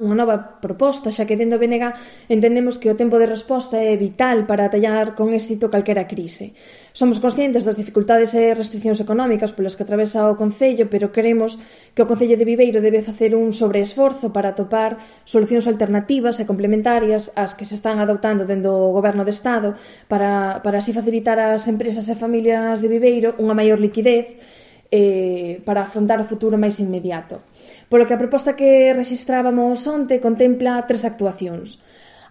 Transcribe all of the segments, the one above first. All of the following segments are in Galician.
unha nova proposta, xa que dentro do BNG entendemos que o tempo de resposta é vital para atallar con éxito calquera crise. Somos conscientes das dificultades e restriccións económicas polas que atravesa o Concello, pero queremos que o Concello de Viveiro debe facer un sobreesforzo para atopar solucións alternativas e complementarias ás que se están adoptando dentro do Goberno de Estado para así facilitar ás empresas e familias de Viveiro unha maior liquidez para afrontar o futuro máis inmediato. Polo que a proposta que rexistrábamos onte contempla 3 actuacións.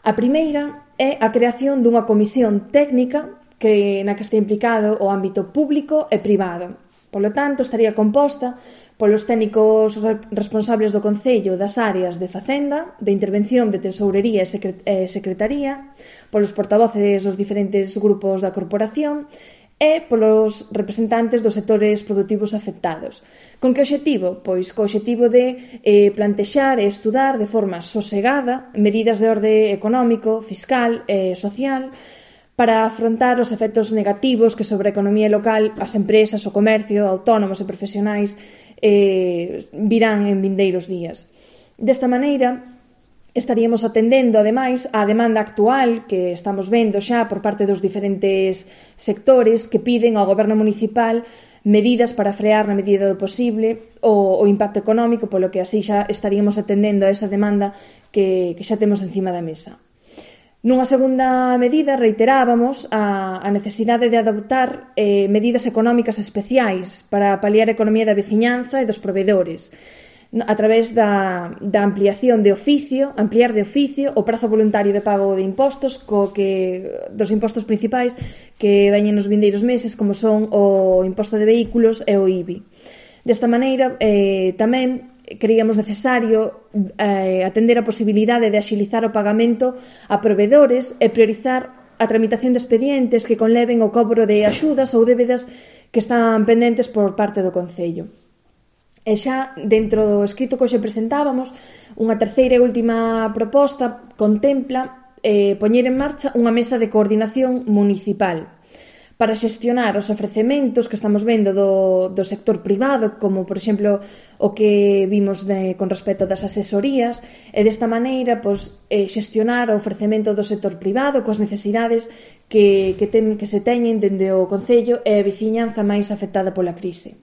A primeira é a creación dunha comisión técnica na que este implicado o ámbito público e privado. Polo tanto, estaría composta polos técnicos responsables do Concello das áreas de Facenda, de Intervención, de Tesourería e Secretaría, polos portavoces dos diferentes grupos da corporación e polos representantes dos sectores produtivos afectados. Con que obxectivo? Pois co obxectivo de plantexar e estudar de forma sosegada medidas de orde económico, fiscal e social para afrontar os efectos negativos que sobre a economía local, as empresas, o comercio, autónomos e profesionais virán en vindeiros días. Desta maneira, estaríamos atendendo, ademais, á demanda actual que estamos vendo xa por parte dos diferentes sectores que piden ao Goberno municipal medidas para frear na medida do posible o impacto económico, polo que así xa estaríamos atendendo a esa demanda que xa temos encima da mesa. Nunha segunda medida, reiterábamos a necesidade de adoptar medidas económicas especiais para paliar a economía da veciñanza e dos provedores, a través da ampliación de oficio, ampliar de oficio o prazo voluntario de pago de impostos dos impostos principais que veñen nos vindeiros meses, como son o imposto de vehículos e o IBI. Desta maneira, tamén creíamos necesario atender a posibilidade de axilizar o pagamento a provedores e priorizar a tramitación de expedientes que conleven o cobro de axudas ou débedas que están pendentes por parte do Concello. E xa, dentro do escrito que hoxe presentábamos, unha terceira e última proposta contempla poñer en marcha unha mesa de coordinación municipal para xestionar os ofrecementos que estamos vendo do sector privado, como, por exemplo, o que vimos con respecto das asesorías, e desta maneira xestionar o ofrecemento do sector privado coas necesidades que se teñen dende o Concello e a veciñanza máis afectada pola crise.